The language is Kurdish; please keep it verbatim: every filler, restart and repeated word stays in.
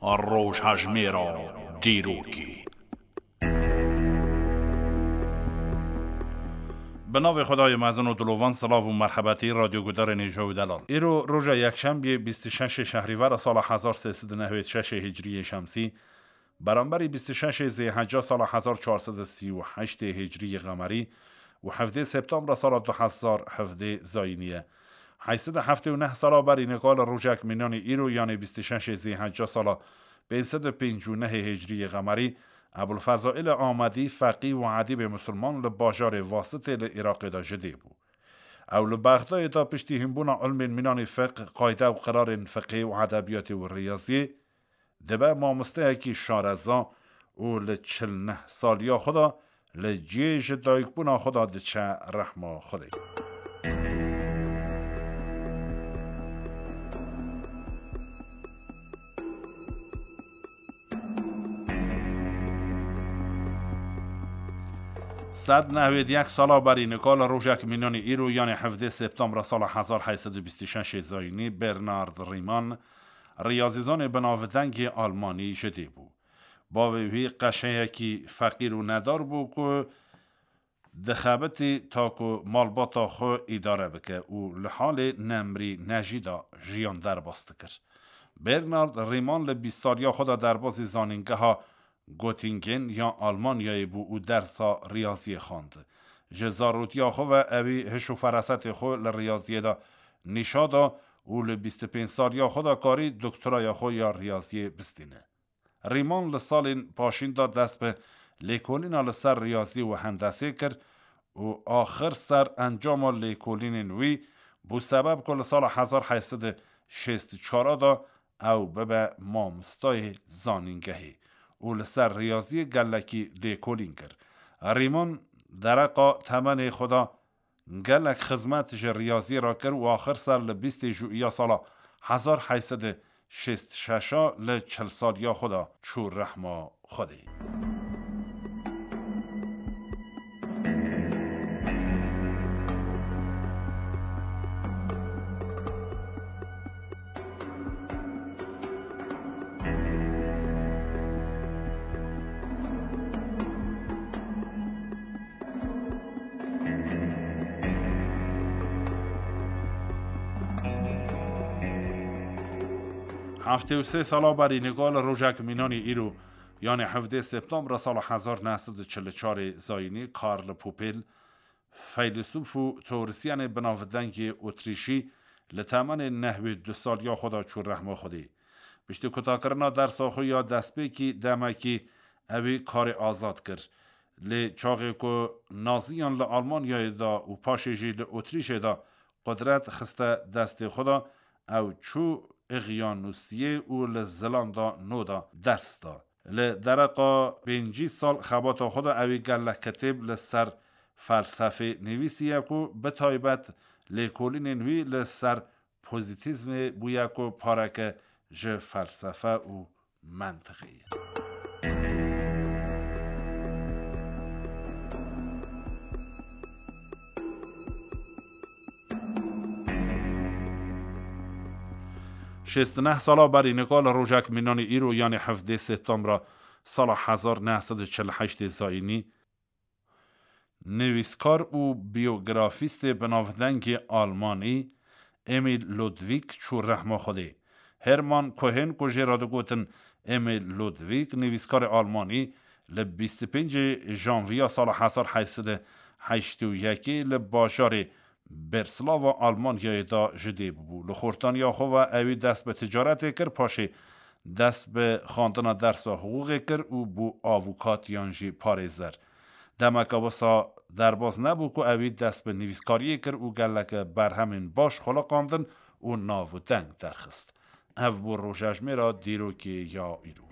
Rojhejmêra dîrokê. Bi navê Xwedayê mezin û dilovan, silav û merhebetî radyogudarên hêja û delal. Îro roja yekşembiyê bîst û şeş Şehrîvera sala hezar sê sed û newêd şeş Hicriyê Şemsî, beramberî bîst û şeş Zêhecca sala hezar çar sed û sî û heşt Hicriyê Qemerî û hevdê Septembra sala du hezar hevdê Zayînî ye. Heyt sed û heftê û neh sala berî nika li rojek mînanî îro, yanê bîst û şeş Zêhecca sala pênc sed û pêncî û neh Hicriyê Qemerî, Ebulfezaîlê Amedî, feqî û edîbê misilman li bajarê Vasitê li Iraqê de ji dê bû. Ew li Bexdayê de piştî hînbûna ilmên mînanî fiqh, qayde û qirarên fiqhê û edebiyatê û riyaziyê, dibe mamosteyekî şareza û li çil neh saliya xwe de li cihê ji dayikbûna xwe de diçe rehma Xwedê. Sed nehwêd yek sala berî nika li rojek mînanî îro, yanê hevdê Septembra sala hezar heyt sed û bîst û şeş Zayînî, Bernard Riemann, riyazîzanê binavdengê Almanî ji dê bû. Bavê wî qeşeyekî feqîr û nedar bû ku dixebitî ta ku malbata xwe îdare bike û li halê nemrî nejî de jiyan derbas dikir. Bernard Riemann li bîst saliya xwe de derbasî zanîngeha Göttingen ya Almanyayê bû û dersa riyaziyê xwend. Ji zarotiya xwe ve ewî hiş û ferasetê xwe li riyaziyê de nîşa da û li bîst û pênc saliya xwe de karî doktoraya xwe ya riyaziyê bistîne. Rîman li salên paşîn de dest bi lêkolîna li ser riyazî û hendesê kir û axir ser encama lêkolînên wî bû sebeb ku li sala hezar heyt sed û şêst û çar de ew bibe mamostayê zanîngehê û li ser riyaziyê gelekî lêkolîn kir. Rîman dereqa temenê xwe de gelek xizmet ji riyaziyê re kir û axir ser li bîstê Jûiya sala hezar heyt sed û şêst û şeş li çil saliya xwe de çû rehma Xwedê. Heftê û sê sala berî nika li rojek mînanî îro, yanê hevdê Septembra sala hezar neh sed û çil û çarê zayînî, Karl Popel, feylesûf û teorisyenê binavdengê Otrîşî, li temenê nehwê du saliya xwe de çû rehma Xwedê. Piştî kutakirina dersa xwe ya destpêkî demekî ewî karê azad kir. Lê çaxê ku naziyan li Almanyayê de û paşê jî li Otrîşê de qudret xiste destê xwe de, ew çû Îqyanûsiyê û li Zilanda Nû de ders da. Li dereqa pêncî sal xebata xwe de ewî gelek kitêb li ser felsefê nivîsiye ku bi taybet lêkolînên wî li ser pozîtîzmê bûye ku pareke ji felsefe û mentiqê ye. Şêst û neh sala berî nika li rojek mînanî îro, yanê hevdê Septembra sala hezar neh sed û çil û heştê zayînî, nivîskar û biyografîstê binavdengê Almanî Emil Ludwig çû rehma Xwedê. Hermann Cohen, ku jê re digotin Emil Ludwig, nivîskarê Almanî, li bîst û pêncê Janviya sala hezar heyt sed û heştê û yekê li bajarê Berslava Almanyayê de ji dê bû. Li xortaniya xwe ve ewî dest bi ticaretê kir, paşê dest bi xwendina dersa hiqûqê kir û bû avukat yan jî parêzer. Demeke wisa derbas nebû ku ewî dest bi nivîskariyê kir û geleke berhemên baş xuliqandin û nav û deng derxist. Ev bû rojejmêra dîrokê ya îro.